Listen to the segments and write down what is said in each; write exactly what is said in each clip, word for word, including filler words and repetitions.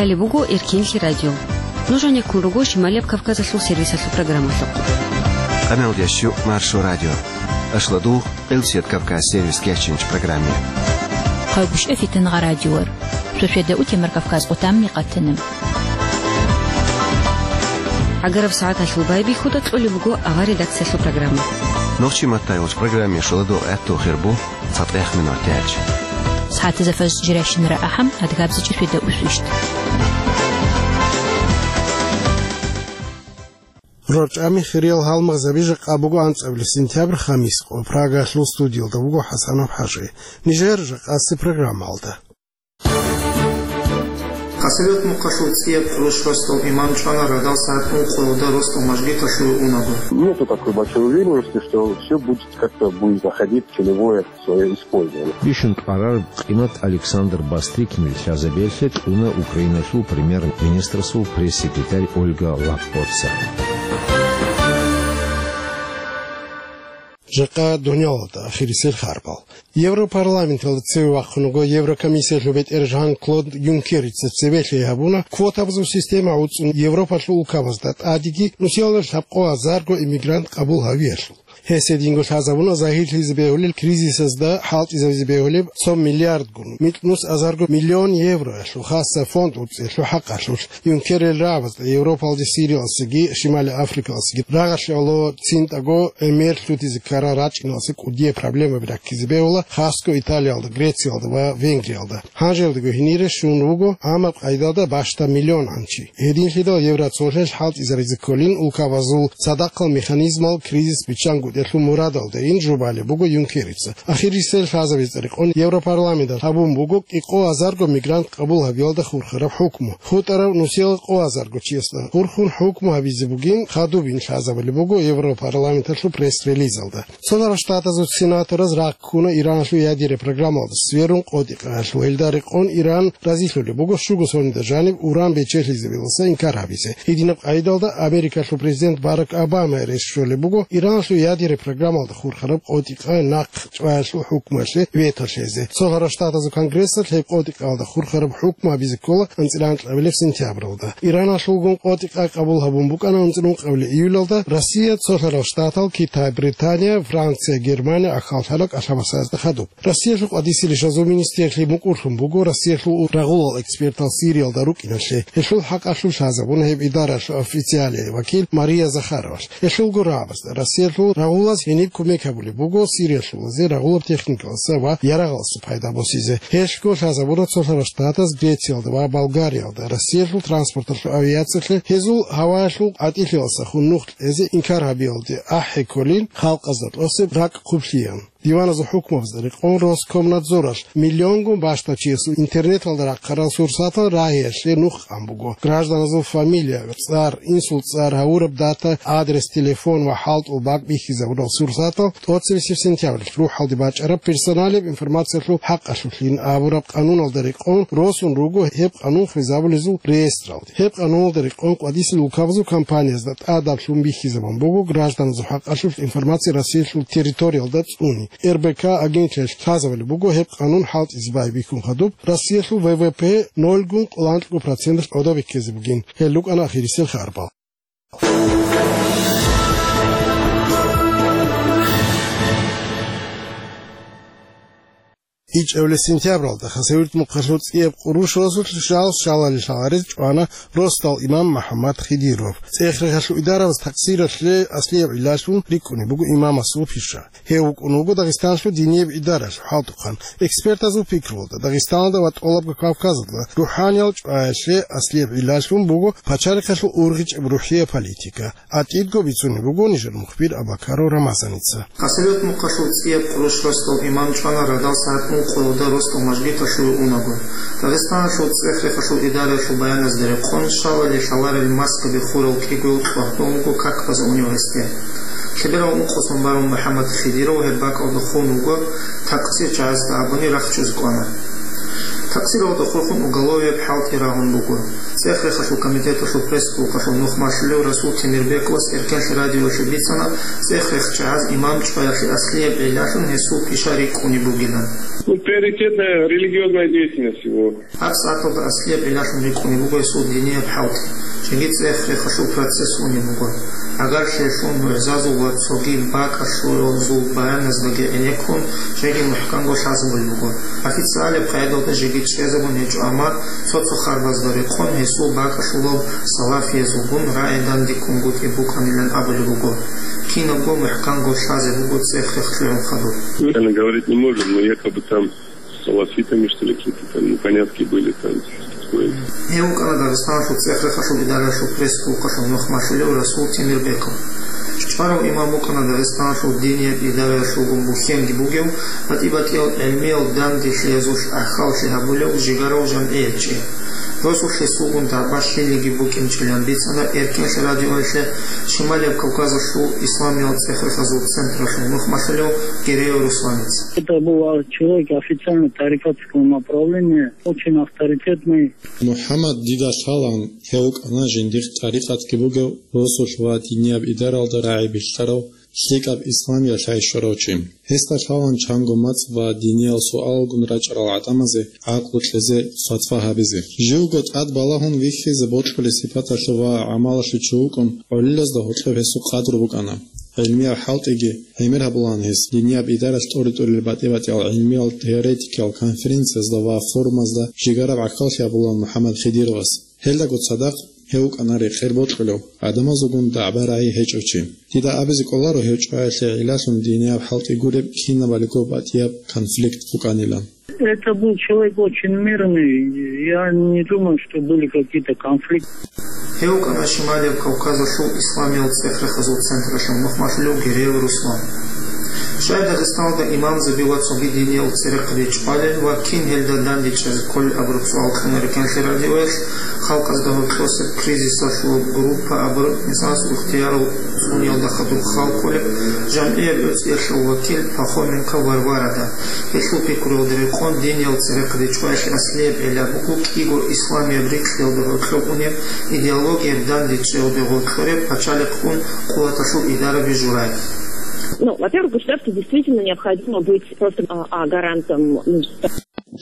Гьале буго Эркинлъи радио. Нуж гьанеккун руго Шималияб Кавказалъул сервисалъул программалъухъ. Къамел ящу Маршо радио. Ашладугъ Элсият Кавказ сервис кечинч программе. Хъавгуш эфитан гъа радиор. Сосведа утемар Кавказ къутамни къатана. Агараб сагӀаталъул байбихьуда кьолеб буго авар редакциялъул программа. Нохчи маттайолч программе шуладугъ гӀатту хирбу. ЦатӀех минут яч. СагӀатазда фаз жиращинара ахӀам, адгабзичӀи фида усвищт. РорчӀами хириял гьалмагъзаби жакъа буго анцӀабилеб сентябрь, хамис къо. Прагалъул студиялда вуго ХӀасанов ХӀажи. Нижер жакъаси программалда. Хасавюрт мухъалъул цӀияб къурущ росдал имам чӀвана радал сагӀат ункъоялда росдал мажгиталъув унаго. Нету такой большой уверенности, что всё будет как-то будет заходить в целевое своё использование. Бищун кьварар къимат Александр Бастрыкинил лъазабиялъе кьуна Украиналъул премьер-министрасул пресс-секретарь Ольга Лаппоца. Жакъа дунялалда ахирисел харбал. Европарламенталда цеве вахъун вуго Еврокомиссиялъул бетӀер Жан-Клод Юнкерица цеве лъей гьабуна квотабазул система гӀуцӀун Европалъул улкабазда тӀадеги нусиялда лъабкъо азарго иммигрант къабул гьавиялъул. Гьес гьединго лъазабуна загьирлъизе бегьулел кризисазда хӀалтӀизавизе бегьулеб цо миллиардгун, микьнус азарго миллион евроялъул хасса фонд уцӀиялъул хӀакъалъулъ. Юнкерил рагӀабазда Европалде Сириялдасаги Шимали Африкалдасаги рагъалъе гӀоло цинтӀаго гӀемер лъутизе ккарал рачӀиналдаса кӀудияб проблемаби раккизе бегьула, хасго Италиялда, Грециялда ва Венгриялда. Гьанжелдаго гьенире щун вуго гӀамаб къайдалда бащдаб миллионгӀан чи. Гьединлъидал евроцолъиялъ хӀалтӀизаризе кколин улкабазул цадахъал механизмал кризис биччангутӀиялъул мурадалдайин жубалеб буго Юнкерица. Ахирисел лъазабица рекъон Европарламенталъ гьабун буго кӀикъо азарго мигрант къабул гьабиялда хурхараб хӀукму. ХутӀараб нусиялда къо азарго чиясда хурхун хӀукму гьабизе бугин хадубин лъазабулеб буго Европарламенталъул пресс-релизалда. Цолъарал Штатазул сенатораз рагъ ккуна Ираналъул ядерный программалда сверун къотӀи-къаялъул. Гьелда рекъон Иран разилъулеб буго щуго соналда жаниб уран бечелъизабиласа инкар гьабизе. Гьединаб къайдалда Америкалъул президент Барак Обама рес щолеб буго Ираналъул ядерный программалда хурхараб къотӀи-къай нахъ чӀваялъул хӀукмуялъе вето лъезе. Цолъарал Штатазул Конгрессалъ гьеб къотӀи-къаялда хурхараб хӀукму гьабизе ккола анцӀила анкьабилеб сентябралда. Ираналъулгун къотӀи-къай къабул гьабун букӀана анцӀила ункъабилеб июлалда Россия, Цолъарал Штатал, Китай, Британия, Франция, Германия ахьаллъарал кӀалъабасазда хадуб. Россиялъул къватӀисел ишазул министрлъи мукӀурлъун буго Россиялъул рагъулал экспертал Сириялда рукӀиналъе. Гьелъул хӀакъалъулъ лъазабуна гьеб идаралъул официалияв вакил Мария Захаровалъ. Гьелъулго рагӀабазда Россиялъул рагъулаз гьениб кумек гьабулеб буго Сириялъулазе рагъулаб техникалдаса ва ярагъалдаса пайда босизе. Гьелъго лъазабуна Цолъарал Штатаз Грециялда ва Болгариялда Россиялъул транспорталъул авиациялъе гьезул гьаваялъул къватӀилъиялдаса хун нух кьезе инкар гьабиялде ахӀи кколин халкъазда тӀосеб ракӀ хъублъиялъ. Диваназул хӀукмабазда рекъон Роскомнадзоралъ миллионгун бащдаб чиясул интернеталда рахъарал сурсатал рагьиялъе нух къан буго. Гражданазул фамилия, цӀар, инсул цӀар, гьавураб дата, адрес, телефон ва хӀалтӀул бакӀ бихьизабурал сурсатал тӀоцебесеб сентябралъ рухӀалде бачӀараб персоналияб информациялъул хӀакъалъулъин абураб къануналда рекъон росун руго гьеб къанун хвезабулезул реестралде. Гьеб къануналда рекъон къватӀисел улкабазул компаниязда тӀадаблъун бихьизабун буго гражданазул хӀакъалъулъ информация Россиялъул территориялда цӀуни. РБК агентиялъ лъазабулеб буго гьеб къанун хӀалтӀизе байбихьун хадуб Россиялъул ВВП нолгун къоло анкьго проценталъ гӀодобе ккезе бугин. Гьел рукӀана ахирисел харбал. ИчӀабилеб сентябралда Хасавюрт мухъалъул цӀияб къурущ росулъ жал щалалел гьарез чӀвана росдал имам МухӀаммад Хидиров. ЦӀех-рехалъул идарабаз такъсиралъе аслияб гӀиллалъун рикӀкӀунеб буго имамасул пиша. Гьев вукӀун вуго Дагъистаналъул динияб идаралъул хӀалтӀухъан. Экспертазул пикруялда, Дагъистаналда ва ТӀолабго Кавказалда рухӀаниял чӀваялъе аслияб гӀиллалъун буго пачалихъалъул ургъичӀеб рухӀияб политика. АтӀидго бицунеб буго нижер мухбир Абакаров Рамазаница. Хасавюрт мухъалъул цӀияб къурущ росдал имам чӀвана радал сагӀат ункъоялда росдал мажгиталъув унаго. Дагъистаналъул цӀех-рехалъул идараялъул баяназда рекъон, щалале лъаларел маскаби хурал кӀигоял кьвагьбун буго как база унев гьесде. Лъеберал ункъо сон барун МухӀаммад Хидиров гьеб бакӀалда хун вуго, такъсирчагӀазда абуни рахчузе кӀвана. Такъсиралда хурхун уголовияб хӀалтӀи рагъун буго. ЦӀех-рехалъул комитеталъул пресс-службалъул нухмалъулев Расул Темирбековас Эркенлъи радиоялъе бицана цӀех-рехчагӀаз имам чӀваялъе аслияб гӀиллалъун гьесул пиша рикӀкӀунеб бугилан. Ну, приоритетная религиозная деятельность его. ГьабсагӀаталда аслияб гӀиллалъун рикӀкӀунеб буго гьесул динияб хӀалтӀи. Жеги цӀех-рехалъул процесс унеб буго. ГӀагарлъиялъул, мугӀзазул ва цоги бакӀалъул баяназдаги гӀенеккун, жеги мухӀканго лъазабулеб буго. Официалияб къагӀидалда жеги чӀезабун гьечӀо, амма цо-цо харбазда рекъон гьесул бакӀалъулаб салафиязулгун рагӀи дандеккунгутӀи букӀанилан абулеб буго. Кинабго мухӀканго лъазе буго цӀех-рех лъугӀун хадуб. Специально говорить не можем, но якобы там с салафитами, что ли, какие-то там непонятки были, там, такое. Гьев вукӀана Дагъистаналъул цӀех-рехалъул идараялъул пресс-службалъул нухмалъулев Расул Темирбеков. ЧӀварав имам вукӀана Дагъистаналъул динияб идараялъулгун бухьенги бугев, батӀи-батӀиял гӀилмиял данделъиязулъ ахӀаллъи гьабулев жигарав жамгӀиятчи. Росулъ гьесулгун дагӀба лъилиги букӀинчӀилан бицана Эркенлъи радиоялъе Шималияб Кавказалъул исламиял цӀех-рехазул централъул нухмалъулев Гереев Русланец. Это был человек официально тарикатского направления, очень авторитетный. МухӀаммад, дида лъалаан, гьев вукӀана жиндир тӀарикъатги бугев, росулъ ва динияб идаралда рагӀи билълъарав, лъикӀаб исламиялъ гӀайщ щварав чи. Гьесда лъалаан чанго мацӀ ва диниял суалалгун рачӀарал гӀадамазе гӀакълу кьезе, фатва гьабизе. Живго тӀад балагьун вихьизе бокьулеб сипаталъе ва гӀамалалъе чи вукӀун, гӀолилазда гьоркьоб гьесул къадру букӀана. ГӀилмиял хӀалтӀиги гӀемер гьабулаан гьес. Динияб идаралъ тӀоре-тӀурел батӀи-батӀиял гӀилмиял теоретикиял конференциязда ва форумазда жигараб гӀахьаллъи гьабулаан МухӀаммад Хидировас. Гьелдаго цадахъ гьев вукӀана рекъер бокьулев, гӀадамазулгун дагӀба-рагӀи гьечӀев чи. Дида абизе кӀоларо гьев чӀваялъе гӀиллалъун динияб хӀалтӀи гуреб кинабалиго батӀияб конфликт букӀанилан. Это был человек очень мирный. Я не думаю, что были какие-то конфликты. Гьев вукӀана Шималияб Кавказалъул исламиял цӀех-рехазул централъул нухмалъулев Гереев Руслан. Щай Дагъистаналда имамзаби ва цоги диниял церехъаби чӀвалел ва кин гьелда дандечӀезе кколел абураб суал кьуна Эркенлъи радиоялъ халкъазда гьоркьосеб кризисалъул группа абураб инсанас ихтиярал цӀуниялда хадуб хал кколеб жамгӀияб гӀуцӀиялъул вакил Пахоменко Варварада. Гьелъул пикруялда рекъон, диниял церехъаби чӀваялъе аслияб гӀилла буго кӀиго исламияб рикьиялда гьоркьоб унеб, идеологияб дандечӀеялда гъоркьореб пачалихъгун къуваталъул идараби журай. Ну, во-первых, государству действительно необходимо быть просто, а, а, гарантом, ну,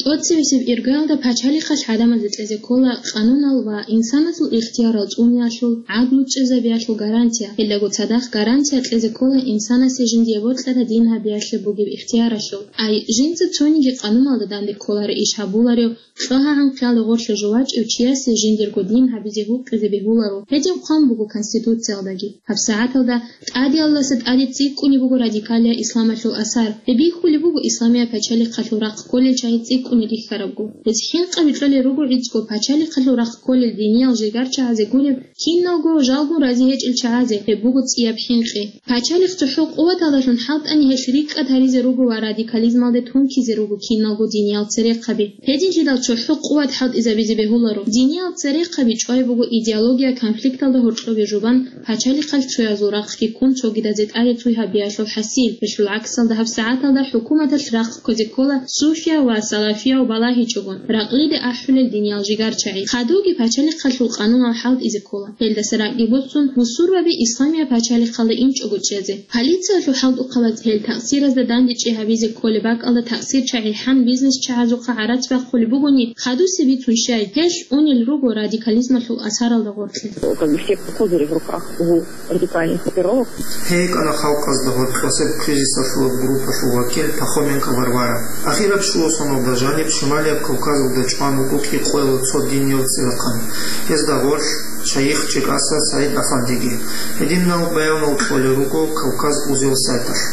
ТӀоцебесеб иргаялда пачалихъалъ гӀадамазда кьезе ккола къанунал ва инсанасул ихтиярал цӀуниялъул, гӀадлу чӀезабиялъул гарантия. Гьелдаго цадахъ гарантия кьезе ккола инсанасе жиндие бокьараб дин гьабиялъе бугеб ихтияралъул. Ай, жинца цониги къануналда данде кколареб иш гьабуларев, кьогьагӀан хъиялда гъорлъе жо вачӀев чиясе жиндирго дин гьабизе гьукъизе бегьуларо. Гьедин хъван буго Конституциялдаги. ГьабсагӀаталда тӀадеялдаса тӀаде цӀикӀкӀунеб буго радикалиял исламалъул асар. Гьеб бихьулеб буго исламияб пачалихъалъул рахъ кколел чагьи цӀикӀкӀуне рихьарабго. Гьез хӀинкъаби кьолел руго гӀицӀго пачалихъалъул рахъ кколел диниял жигарчагӀазе гуреб киналго, жалгун рази гьечӀел чагӀазе. Гьеб буго цӀияб хӀинкъи. Пачалихъ цохӀо къуваталдалъун хӀалтӀани гьелъ рикӀкӀад гьаризе руго ва радикализмалде тункизе руго киналго диниял церехъаби. Гьединлъидал цохӀо къуват хӀалтӀизабизе бегьуларо. Диниял церехъаби чӀвай буго идеология конфликталда гьоркьобе жубан, пачалихъалъ цоязул рахъги ккун цогидазе тӀаде цуй гьабиялъул хӀасил. Гьелъул гӀаксалда гьабсагӀаталда хӀукуматалъ рахъ кквезе ккола суфияв ва салафияв балагьичӀогун, ракълиде ахӀулел диниял жигарчагӀи. Хадубги пачалихъалъул къанунал хӀалтӀизе ккола. Гьелдаса ракӀги босун, бусурбаби исламияб пачалихъалда инчӀого чӀезе. Полициялъул хӀалтӀухъабаз гьел такъсиразда дандечӀи гьабизе кколеб бакӀалда такъсирчагӀи хӀан бизнесчагӀазухъа гӀарац бахъулеб бугони, хадусе бицун щай, гьелъ унел руго радикализмалъул асаралда гъоркье. Как бы все козыри в руках у радикальных группировок. Гьей кӀана халкъазда гъоркьосеб кризисалъул группалъул вакил Пахоменко Варвара. Ахираб щуго соналда жаниб Шималияб Кавказалда чӀван вуго кӀикъоялда цо диниял церехъан. Гьезда гъорлъ шайих ЧӀикӀаса СагӀид Афандиги. Гьединал баянал кьолел руго Кавказ узел сайталъ.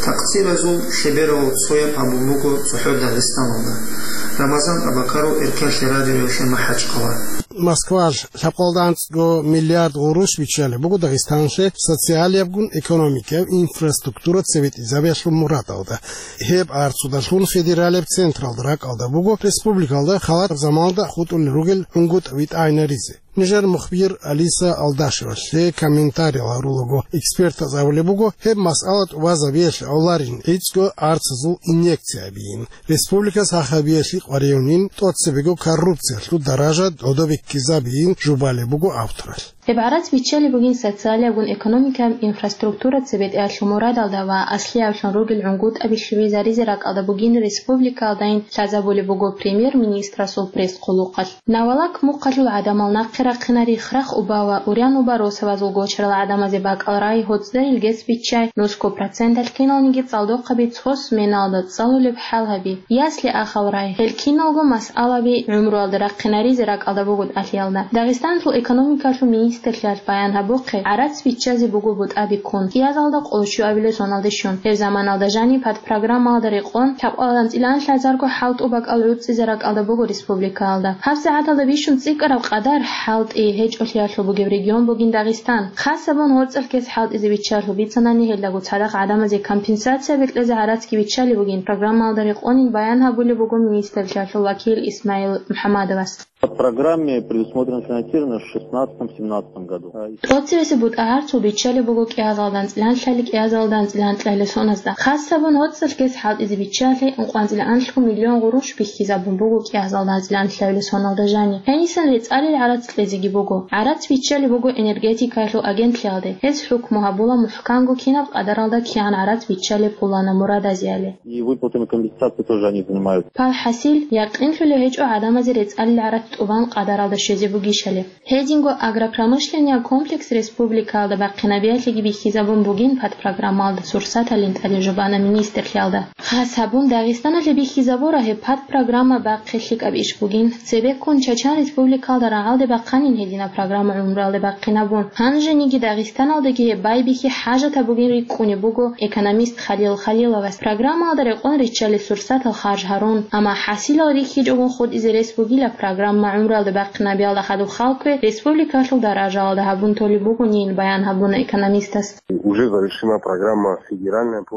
Такъсиразул лъеберавал цояб гьабун буго цохӀо Дагъистаналда. Рамазан Абакаров, Эркенлъи радиоялъе МахӀачхъала. Москвалъ лъабкъоялда анцӀго миллиард гъурущ биччалеб буго Дагъистанлъе социалиябгун экономикаяб инфраструктура цебетӀизабиялъул мурадалда. Гьеб арцудалъун федералияб централда ракӀалда буго республикалда халат заманалда хутӀулел ругел гӀунгутӀ витӀайнаризе. Нижер мухбир Алиса Алдашевалъе комментариял гьарулаго, экспертаз абулеб буго, гьеб масъала тӀубазабиялъе авларин гӀицӀго арцазул инъекция абейин. Республикас гьахабиялъе къваригӀунин, тӀоцебего коррупциялъул даража додобеккизабийин жубалеб буго авторалъ. Гьеб гӀарац биччалеб бугин социалиябгун экономикаяб инфраструктура цебетӀеялъул мурадалда ва аслияблъун ругел гӀунгутӀаби лъугӀизаризе ракӀалда бугин республикаялдайин лъазабулеб буго премьер-министрасул пресс-хъулухъалъ. Навалак мухъалъул гӀадамал нахъе рахъинари храхъ уба ва урян уба росабазул гочарал гӀадамазе бакӀал рай, гьоцӀдерил гес биччай, нусго проценталъ киналниги цӀалдохъаби цо сменалда цӀалулеб хӀал гьаби, ясли ахал рай. Гьел киналго масъалаби гӀумруялда рахъинаризе ракӀалда буго тӀалъиялда. Дагъистаналъул экономикалъул министрлъиялъ баян гьабухъе, гӀарац биччазе буго бутӀаби ккун, кӀиазалда къоло щуабилеб соналде щун. Гьеб заманалда жаниб подпрограммаялда рекъон лъабкъоялда анцӀила анлъазарго хӀалтӀу бакӀал гӀуцӀизе ракӀалда буго республикаялда. ГьабсагӀаталда бищун цӀикӀкӀараб къадар хӀалтӀи гьечӀолъиялъул бугеб регион бугин Дагъистан. Хасабун гьорцӀалъ гес хӀалтӀизе биччалъул бицанани, гьелдаго цадахъ гӀадамазе компенсация бекьезе гӀарацги биччалеб бугин, программаялда рекъонин баян гьабулеб буго министрлъиялъул вакил Исмаил МухӀаммадовас. По программе предусмотрено финансирование в шестнадцатом-семнадцатом году. А, и ТӀоцевесеб бутӀа гӀарцул биччалеб буго кӀиазалда анцӀила анлъали кӀиазалда анцӀила анлъабилеб соназда. Хасабун гьорцӀалъ гес хӀалтӀизе биччалъе ункъоялда анлъго миллион гъурущ бихьизабун буго кӀиазалда анцӀила анлъабилеб соналда жаниб. Гьенисан рецӀалил гӀарац кьезеги буго. ГӀарац биччалеб буго энергетикаялъул агентлъиялде. Гьез хӀукму гьабула мухӀканго кинаб къадаралда кигӀан гӀарац биччалеб пуланаб мурадазеяли. И выплатами компенсации тоже они занимаются. Пал хӀасил, якъинлъулев гьечӀо гӀадамазе рецӀалил гӀарац тӀубан къадаралда щвезе бугищали. Гьединго агропромышленный комплекс республикаялда бахъинабиялъеги бихьизабун бугин подпрограммаялда сурсаталин тӀаде жубана министрлъиялда. Хас гьабун, Дагъистаналъе бихьизабура гьеб подпрограмма бахъе лъикӀаб иш бугин. Цебеккун Чачан республикаялда рагӀалде бахъанин гьединаб программа гӀумруялде бахъинабун. Гьанжениги Дагъистаналдаги гьеб байбихьи хӀажатаб бугин рикӀкӀунеб буго экономист Халил Халиловас. Программаялда рекъон риччалес сурсатал харж гьарун, амма хӀасилал рихьичӀогун хутӀизе рес бугила программа гӀумруялде бахъинабиялда хадуб халкъе республикалъул даражаялда гьабун толеб бугонин, баян гьабуна экономистас. Уже завершена программа федеральная по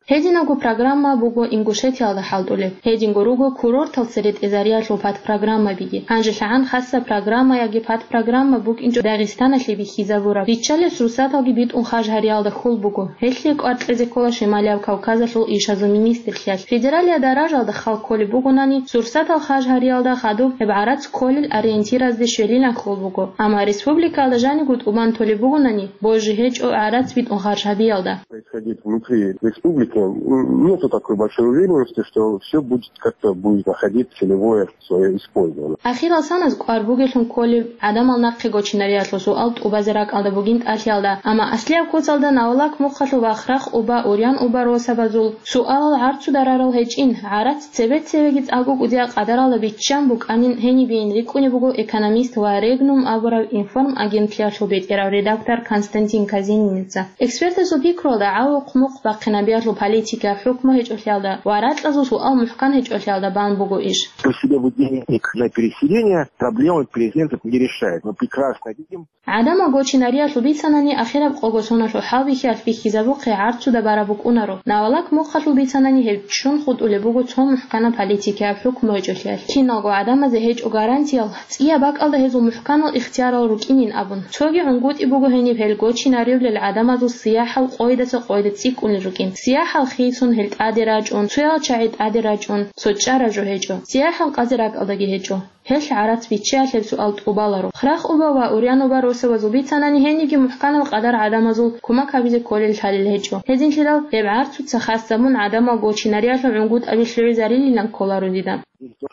Гьединабго программа буго Ингушетиялда хӀалтӀулеб. Гьединго руго курортал цере тӀезариялъул подпрограммабиги. Гьанже лъагӀан хасаб программа яги подпрограмма букӀинчӀо Дагъистаналъе бихьизабураб. Риччалес сурсаталги битӀун харж гьариялда хьул буго. Гьелъие кӀвар кьезе ккола Шималияб Кавказалъул ишазул министрлъиялъ. Федералияб даражаялда хал кколеб бугонани, сурсатал харж гьариялда хадуб гьеб гӀарац кколел ориентиразде щвелилан хьул буго. Амма республикаялда жаниго тӀубан толеб бугонани, божи гьечӀо гӀарац битӀун харж гьабиялда. Происходить внутри республики, н-, нету такой большой уверенности, что всё будет как-то, будет находить целевое своё использование. Ахирал саназ кӀвар бугелъун кколеб гӀадамал нахъе гочинариялъул суал тӀубазе ракӀалда бугин тӀалъиялда, амма аслияб куцалда Навалак мухъалъул ва Храхъ уба, Урян уба росабазул суалал гӀарцу дарарал гьечӀин, гӀарац цебе-цебеги цӀакъго кӀудияб къадаралда биччан букӀанин гьенибейин рикӀкӀунеб буго экономист ва Регнум абураб информагентлъиялъул бетӀерав редактор Константин Казениница. Экспертасул пикруялда, гӀавухъ-мухъ бахъинабиялъул политикаяб хӀукму гьечӀолъиялда ва ракьазул суал мухӀкан гьечӀолъиялда бан буго иш. По себе денег на переселение проблемы переселенцев не решает. Мы прекрасно видим. ГӀадамал гочинариялъул бицанани, ахираб къого соналъул хӀалбихьиялъ бихьизабухъе гӀарцуда бараб букӀунаро. Навалак мухъалъул бицанани, гьеб ччун хутӀулеб буго цо мухӀканаб политикаяб хӀукму гьечӀолъиялъ. Киналго гӀадамазе гьечӀо гарантиял, цӀияб бакӀалда гьезул мухӀканал ихтиярал рукӀинин абун. Цоги гӀунгутӀи буго гьениб гьел гочинаривлел гӀадамазул сияхӀал къойдаса къойде цӀикӀкӀунел рукӀин. СияхӀал хисун гьел тӀаде рачӀун, цоял чагӀи тӀаде рачӀун, цо чӀара жо гьечӀо. СияхӀал къазе ракӀалдаги гьечӀо. Гьелъ гӀарац биччаялъеб суал тӀубаларо. Храхъ уба ва Урян уба росабазул бицанани гьениги мухӀканал къадар гӀадамазул кумак гьабизе кколел лъалел гьечӀо. Гьединлъидал гьеб гӀарцуца хасабун гӀадамал гочинариялъул гӀунгутӀаби лъугӀизарилилан кколаро дида.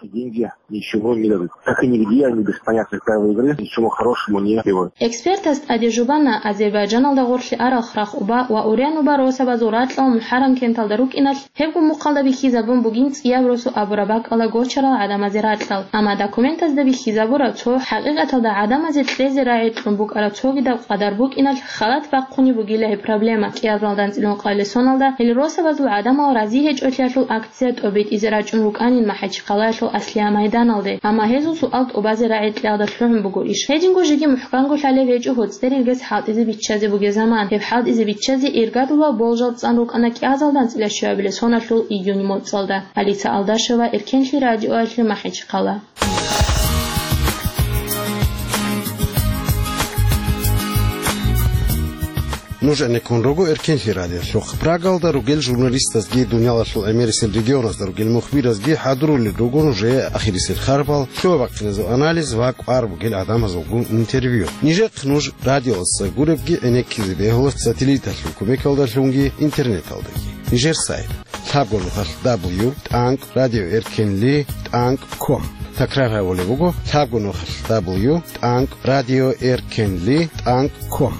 Деньги ничего не дадут. Как и нигде они без понятных правил игры, ничего хорошего не делают. Экспертас тӀаде жубана Азербайджаналда гъорлъе арал Храхъ уба ва Урян уба росабазул ракьал МухӀаррам кенталда рукӀиналъ, гьебго мухъалда бихьизабун бугин цӀияб росу абураб бакӀалда гочарал гӀадамазе ракьал. Амма документазда бихьизабураб цо хӀакъикъаталда гӀадамазе кьезе рагӀи кьун букӀараб цогидаб къадар букӀиналъ халат бахъунеб бугила гьеб проблема. КӀиазалда анцӀила ункъабилеб соналда гьел росабазул гӀадамал рази гьечӀолъиялъул акция тӀобитӀизе рачӀун рукӀанин МахӀачхъалаялъул Аслия майданалде, амма гьезул суал тӀубазе рагӀи кьиялда лъугӀун буго иш. Гьединго жеги мухӀканго лъалеб гьечӀо гьоцӀдерил гес хӀалтӀизе биччазе бугеб заман. Гьеб хӀалтӀизе биччазе иргадулаб болжал цӀан рукӀана кӀиазалда анцӀила щуабилеб соналъул июнь моцӀалда. Алиса Алдашева, Эркенлъи радиоялъе, МахӀачхъала. Нуж гӀенеккун руго Эркенлъи радиолъухъ. Прагалда ругел журналистазги, дуниялалъул гӀемерисел регионазда ругел мухбиразги хӀадурулел руго нужее ахирисел харбал, лъугьа-бахъиназул анализ ва кӀвар бугел гӀадамазулгун интервью. Нижехъ нуж радиоялдаса гуребги гӀенеккизе бегьула сателлиталъул кумекалдалъунги интернеталдаги. Нижер сайт: лъабго нухалъ дабл ю тӀанкӀ радио эркенли тӀанкӀ ком. Такрар гьабулеб буго: лъабго нухалъ дабл ю тӀанкӀ радио эркенли тӀанкӀ ком.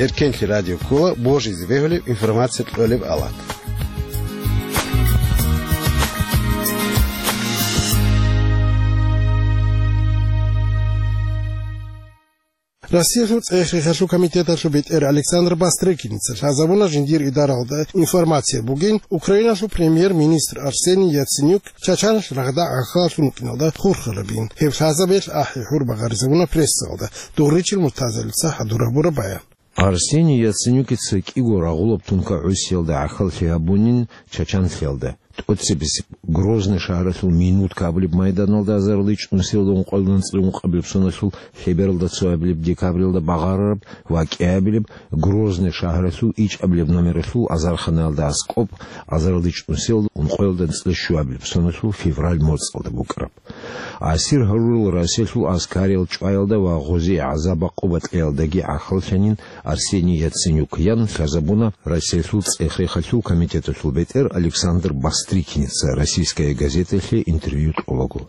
Эркенлъи радио ккола божизе бегьулеб информация кьолеб алат. Россиялъул цӀех-рехалъул комитеталъул бетӀер Александр Бастрыкиница лъазабуна жиндир идаралда информация бугин, Украиналъул премьер-министр Арсений Яценюк Чачаналъ рагъда гӀахьаллъун вукӀиналда хурхарабин. Гьеб лъазабиялъ ахӀи-гьур багъаризабуна прессалда. Дугъричил Муртазалица хӀадур гьабураб баян. Арсений Яценюкица кӀиго рагъулаб тункагӀусиялда гӀахьаллъи гьабунин Чачанлъиялда. ТӀоцебесеб Грозный шагьаралъул Минутка абулеб майданалда азарилда чӀунусиялда ункъоялда анцӀила ункъабилеб соналъул лъебералда цоабилеб декабралда багъарараб ва кӀиабилеб Грозный шагьаралъул ичӀабилеб номералъул азарханаялда аскӀоб азарилда чӀунусиялда ункъоялда анцӀила щуабилеб соналъул февраль моцӀалда букӀараб. Асир гьарурал Россиялъул аскариял чӀваялда ва гъозие гӀазаб-гӀакъуба кьеялдаги гӀахьаллъанин Арсений Яценюк, ян лъазабуна Россиялъул цӀех-рехалъул комитеталъул бетӀер Александр Бастрыкиница «Российская газеталъе» интервью кьолаго.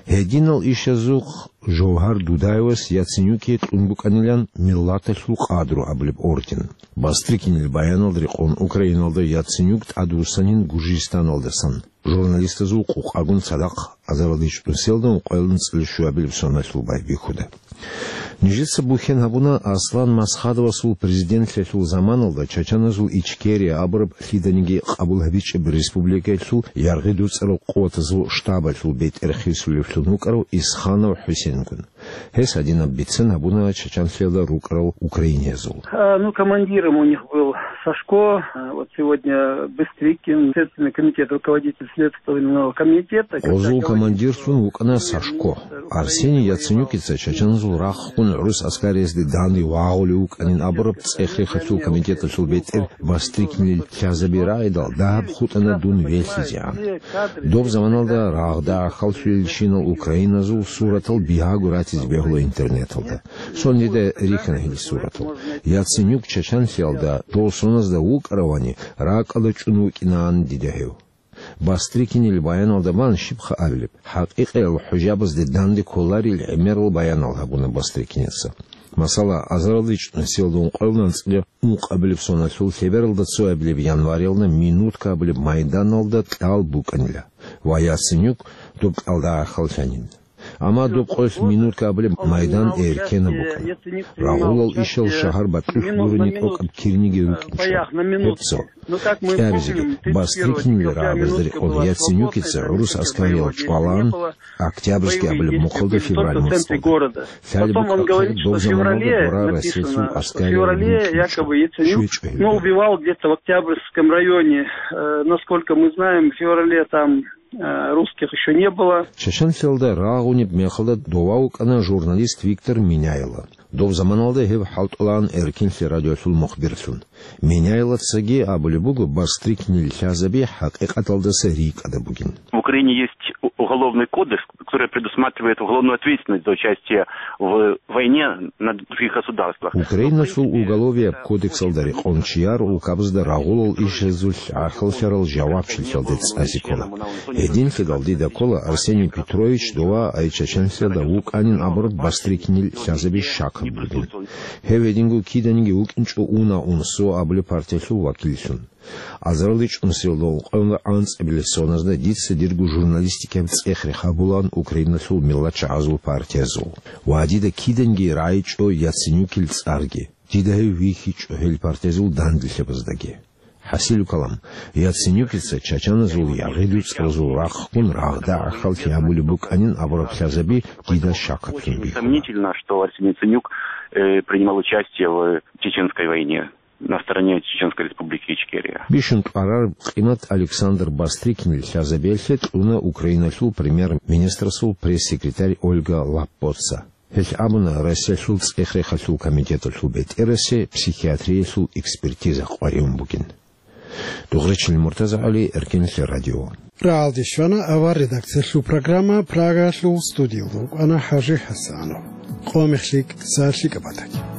Гьединал ишазухъ Жовгьар Дудаевас Яценюкие кьун букӀанилан «Миллаталъул къадру» абулеб орден. Бастрыкинил баяналда рекъон Украиналда Яценюк тӀадвуссанин Гуржистаналдасан. Журналистазул къукъагун цадахъ азарилда чӀунусиялда ункъоялда анцӀила щуабилеб соналъул байбихьуда. Нижеца бухьен гьабуна Аслан Масхадовасул президентлъиялъул заманалда чачаназул Ичкерия абураб лъиданиги къабул гьабичӀеб республикаялъул яргъи дуцӀарал къуватазул штабалъул бетӀер хисулевлъун вукӀарав Исханов ХӀусенгун. Гьес гьадинаб бицен гьабуна Чачанлъиялда рукӀарал украиназул. А, ну, командиром у них был Сашко, а, вот сегодня Быстрыкин, Следственный комитет, руководитель Следственного комитета. Гъозул командирлъун вукӀана Сашко. Арсений Яценюкица чачаназул рахъгун гӀурус аскариязде данде вагъулев вукӀанин абураб цӀех-рехалъул комитеталъул бетӀер Бастрыкинил лъазаби рагӀидал дагьаб хутӀана дун велъизегӀан. Доб заманалда рагъда гӀахьаллъулелщинал украиназул суратал бигьаго ратизе бегьула интернеталда. Цо дида рихьана гьел суратал. Яценюк Чачанлъиялда дов соназда вукӀаравани, ракӀалда чӀун вукӀинаан дида гьев. Бастрыкинил баяналда бан щибха абилеб, хӀакъикъиял хӀужабазде данде кколарил гӀемерал баянал гьабуна Бастрыкиница. Масала, азарилда чӀунусиялда ункъоялда анцӀила ункъабилеб соналъул лъебералда цоабилеб январалда Минутка абулеб майданалда кьал букӀанила ва Яценюк доб кьалда гӀахьаллъанин. Амма доб къоялъ Минутка абулеб майдан эркенаб букӀана. Рагъулал ишал шагьар батӀулъ гурони тӀокӀаб кирниги рукӀинчӀо. Гьеб цо. КӀиабизеги, Бастрыкинил рагӀабазда рекъон Яценюкица гӀурус аскариял чӀвалаан, Октябрьский абулеб мухъалда февраль моцӀалда. Лъалеб букӀа хъе доб заманалда дора Россиялъул аскариял мухъичӀо. Ну, убивал где-то в Октябрьском районе. Э, насколько мы знаем, в феврале там, э, русских ещё не было. Чачанлъиялда рагъунеб мехалда дова вукӀана журналист Виктор Меняйло. Доб заманалда гьев хӀалтӀулаан Эркенлъи радиолъул мухбирлъун. Меняйлоцаги абулеб буго Бастрыкинил лъазаби хӀакъикъаталдаса рикӀкӀадаб бугин. В Украине есть у-, уголовный кодекс, который предусматривает уголовную ответственность за участие в войне на других государствах. Украиналъул уголовияб кодексалда рекъон чияр улкабазда рагъулал ишазулъ гӀахьаллъарал жавабчилъиялде цӀазе ккола. Гьединлъидал дида ккола Арсений Петрович дова ай Чачанлъиялда вукӀанин абураб Бастрыкинил лъазаби щакаб бугин. Гьев гьединго киданиги вукӀинчӀо «Уна, УНСО» абулеб партиялъул вакиллъун. Азарилда чӀунусиялда ункъоялда анцӀабилеб соназда дица дирго журналистикаяб цӀех-рех гьабулаан Украиналъул миллатчагӀазул партиязул. Ва дида киданиги рагӀичӀо Яценюкил цӀарги. Дида гьев вихьичӀо гьел партиязул данделъабаздаги. ХӀасилу калам, Яценюкица чачаназул яргъи дуцӀаразул рахъгун рагъда гӀахьаллъи гьабулеб букӀанин абураб лъазаби дида щакаблъун бихьула. Сомнительно, что Арсений Яценюк, э, принимал участие в Чеченской войне на стороне Чеченской Республики Ичкерия. Бищун кьварараб къимат Александр Бастрыкинил лъазабиялъе кьуна Украиналъул премьер-министрасул пресс-секретарь Ольга Лаппоца. Гьелъ абуна, Россиялъул цӀех-рехалъул комитеталъул бетӀерасе психиатриялъул экспертиза къваригӀун бугин. Дугъречил МуртазагӀали, Эркенлъи радио. РагӀалде щвана авар редакциялъул программа, Прагаялъул студиялда рукӀана ХӀажи ХӀасанов. Къо мехлъи кӀкӀса лъикӀаб батаги.